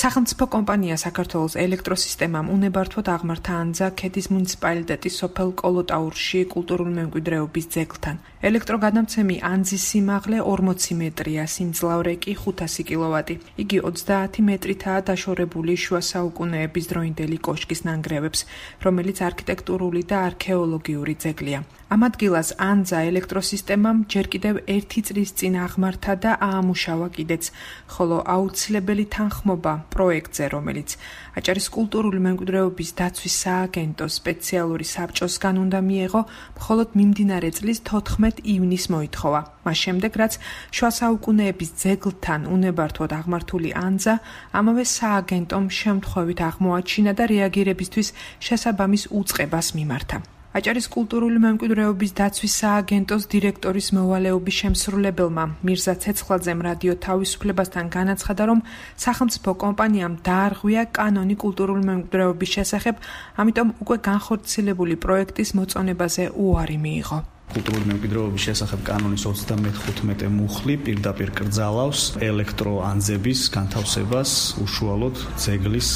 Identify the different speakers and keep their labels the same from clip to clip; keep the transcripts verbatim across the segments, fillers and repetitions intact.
Speaker 1: სახელმწიფო კომპანია საქართველოს ელექტროსისტემამ უნებართვოდ აღმართა ანძა ქედის მუნიციპალიტეტის სოფელ კოლოტაურში კულტურული მემკვიდრეობის ძეგლთან. ელექტროგადამცემი ანძის სიმაღლე ორმოცი მეტრია, სიმძლავრე კი ხუთასი კილოვატი. იგი ოცდაათი მეტრითაა დაშორებული შუა საუკუნეების დროინდელი კოშკის ნანგრევებს, რომელიც არქიტექტურული და არქეოლოგიური ძეგლია. ამ ადგილას ანძა ელექტროსისტემამ ჯერ კიდევ ერთი წლის წინ აღმართა და აამუშავა კიდეც, ხოლო აუცილებელი თანხმობა პროექტზე, რომელიც აჭარის კულტურული მემკვიდრეობის დაცვის სააგენტოს სპეციალური საბჭოსგან უნდა მიეღო, მხოლოდ მიმდინარე წლის თოთხმეტ ივნისს მოითხოვა. მას შემდეგ, რაც შუა საუკუნეების ძეგლთან უნებართვოდ აღმართული ანძა ამავე სააგენტომ შემთხვევით აღმოაჩინა და რეაგირებისთვის შესაბამის უწყებას მიმართა. აჭარის კულტურული მემკვიდრეობის დაცვის სააგენტოს დირექტორის მოვალეობის შემსრულებელმა მირზა ცეცხლაძემ რადიო თავისუფლებასთან განაცხადა, რომ სახელმწიფო კომპანიამ დაარღვია კანონი კულტურული მემკვიდრეობის შესახებ, ამიტომ უკვე განხორციელებული პროექტის მოწონებაზე უარი მიიღო.
Speaker 2: კულტურული მემკვიდრეობის შესახებ კანონის ოცდამეხუთმეტე მუხლი პირდაპირ კრძალავს ელექტროანძების განთავსებას უშუალოდ ძეგლის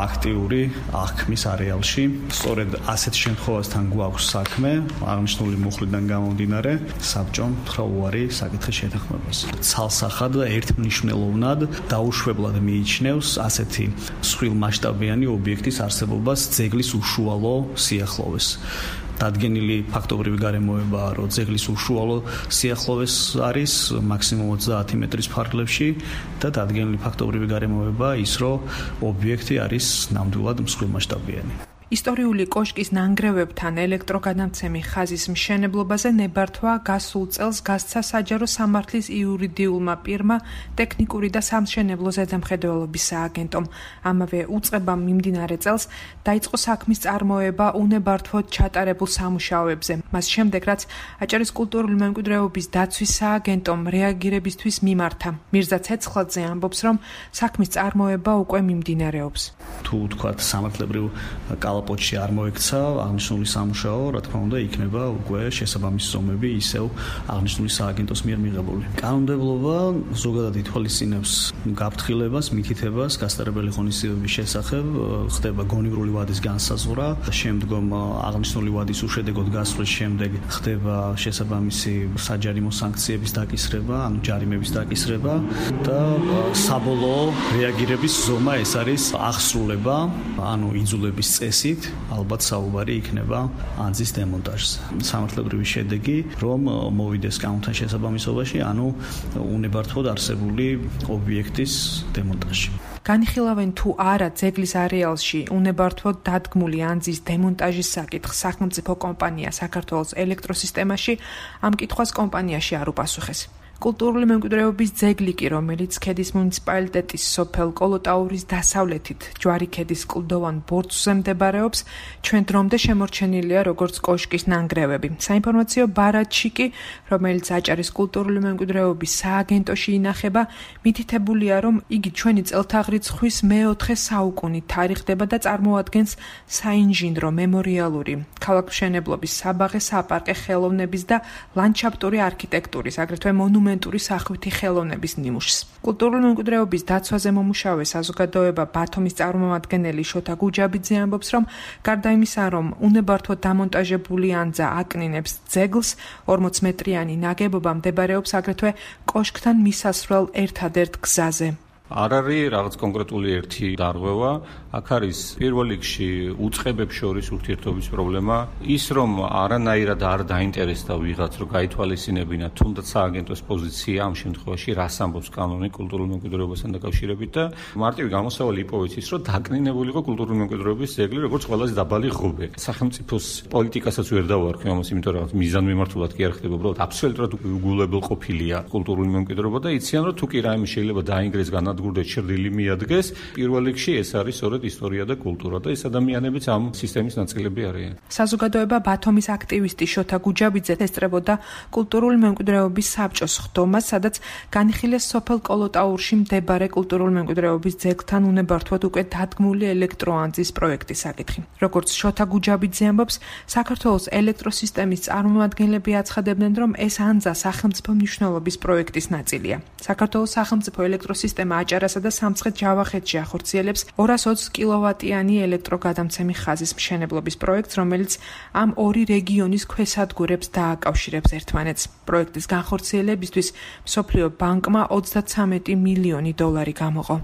Speaker 2: აქტიური აღქმის არეალში. სწორედ ასეთ შემთხვევასთან გვაქვს საქმე, აღნიშნული მუხლიდან გამომდინარე, საბჭომ უთხრა უარი საკითხის შეთანხმებას. ცალსახად და ერთმნიშვნელოვნად დაუშვებლად მიიჩნევს ასეთი მსხვილმასშტაბიანი ობიექტის არსებობას ძეგლის უშუალო სიახლოვეს. დადგენილი ფაქტობრივი გარემოებაა, რომ ძეგლის უშუალო სიახლოვეს არის მაქსიმუმ ოცდაათი მეტრის ფარგლებში და დადგენილი ფაქტობრივი გარემოებაა ის, რომ ობიექტი არის ნამდვილად მსხვილმასშტაბიანი.
Speaker 1: ისტორიული კოშკის ნანგრევებთან ელექტროგადამცემი ხაზის მშენებლობაზე ნებართვა გასულ წელს გასცა საჯარო სამართლის იურიდიულმა პირმა ტექნიკური და სამშენებლო ზედამხედველობის სააგენტომ. ამავე უწყებამ მიმდინარე წელს დაიწყო საქმის წარმოება უნებართვოდ ჩატარებულ სამუშაოებზე. მას შემდეგ, რაც აჭარის კულტურული მემკვიდრეობის დაცვის სააგენტომ რეაგირებისთვის მიმართა. მირზა ცეცხლაძე ამბობს, რომ საქმის წარმოება უკვე მიმდინარეობს.
Speaker 2: თუ თქვათ სამართლებრივ კალაპოტში არ მოექცა აღნიშნული სამუშაო, რა თქმა უნდა, იქნება უკვე შესაბამისი ზომები ისევ აღნიშნული სააგენტოს მიერ მიღებული. კანონმდებლობა ზოგადად ითვალისწინებს გაფრთხილებას, მითითებას გასტარებელი ღონისძიებების შესახებ, ხდება გონივრული ვადის განსაზღვრა, შემდგომ აღნიშნული ვადის უშედეგოდ გასვლის შემდეგ ხდება შესაბამისი საჯარიმო სანქციების დაკისრება, ანუ ჯარიმების დაკისრება და საბოლოო რეაგირების ზომა ეს არის აღსრულება, ანუ იძულების წესი ალბათ საუბარი იქნება ანძის დემონტაჟზე. სამართლებრივი შედეგი, რომ მოვიდეს კანონთან შესაბამისობაში, ანუ უნებართვოდ არსებული ობიექტის დემონტაჟი.
Speaker 1: განიხილავენ თუ არა ძეგლის არეალში უნებართვოდ დადგმული ანძის დემონტაჟის საკითხს სახელმწიფო კომპანია საქართველოს ელექტროსისტემაში ამ კითხვას კომპანიაში არ უპასუხეს. კულტურული მემკვიდრეობის ძეგლი კი, რომელიც ქედის მუნიციპალიტეტის სოფელ კოლოტაურის დასავლეთით ჯვარი ქედის კლდოვან ბორცვზე მდებარეობს, ჩვენ დრომდე შემორჩენილია როგორც კოშკის ნანგრევები. საინფორმაციო ბარათში კი, რომელიც აჭარის კულტურული მემკვიდრეობის სააგენტოში ინახება, მითითებულია, რომ იგი ჩვენი წელთაღრიცხვის მეოთხე საუკუნით თარიღდება და წარმოადგენს საინჟინრო, მემორიალური, ქალაქმშენებლობის, საბაღე, საპარკე ხელოვნების და ლანდშაფტური არქიტექტურის, აგრეთვე მონუმენტური სახვითი ხელოვნების ნიმუშს. კულტურული მემკვიდრეობის დაცვაზე მომუშავე საზოგადოება ბათუმის წარმომადგენელი შოთა გუჯაბიძე ამბობს, რომ გარდა იმისა, რომ უნებართვოდ დამონტაჟებული ანძა აკნინებს ძეგლს, ორმოც მეტრიანი ნაგებობა მდებარეობს აგრეთვე კოშკთან მისასვლელ ერთადერთ გზაზე.
Speaker 3: არ არის რაღაც კონკრეტული ერთი დარღვევა, აქ არის პირველ რიგში უწყებებს შორის ურთიერთობის პრობლემა, ის რომ არანაირად არ დაინტერესდა ვიღაც, რომ გაითვალისწინებინა თუნდაც სააგენტოს პოზიცია ამ შემთხვევაში, რას ამბობს კანონი კულტურული მემკვიდრეობასთან დაკავშირებით და მარტივი გამოსავალი იპოვეთ ის, რომ დაკნინებული იყო კულტურული მემკვიდრეობის ძეგლი, როგორც ყველაზე დაბალი ღობე. სახელმწიფოს პოლიტიკასაც ვერ დავარქვი ამას, იმიტომ რომ მიზანმიმართულად კი არ ხდება, უბრალოდ აბსოლუტურად უგულებელყოფილია კულტურული მემკვიდრეობა და იციან, რომ თუ კი რაიმე შეიძლება დაინგრეს განა გურდეთ ჭრილი მიადგეს, პირველ რიგში ეს არის სწორედ ისტორია და კულტურა და ეს ადამიანებიც ამ სისტემის ნაწილები არიან.
Speaker 1: საზოგადოება ბათუმის აქტივისტი შოთა გუჯაბიძე ესწრებოდა კულტურული მემკვიდრეობის საბჭოს ხდომას, სადაც განიხილეს სოფელ კოლოტაურში მდებარე კულტურული მემკვიდრეობის ძეგლთან უნებართვოდ უკვე დადგმული ელექტროანძის პროექტის საკითხი. როგორც შოთა გუჯაბიძე ამბობს, საქართველოს ელექტროსისტემის წარმომადგენლები აცხადებდნენ, რომ ეს ანძა სახელმწიფო მნიშვნელობის პროექტის ნაწილია. საქართველოს სახელმწიფო ელექტროსისტემა აჭარასა და სამცხე-ჯავახეთში ახორციელებს ორას ოცი კილოვატიანი ელექტროგადამცემი ხაზის მშენებლობის პროექტს, რომელიც ამ ორი რეგიონის ქვესადგურებს დააკავშირებს ერთმანეთს. პროექტის განხორციელებისთვის მსოფლიო ბანკმა ოცდათვრამეტი მილიონი დოლარი გამოყო.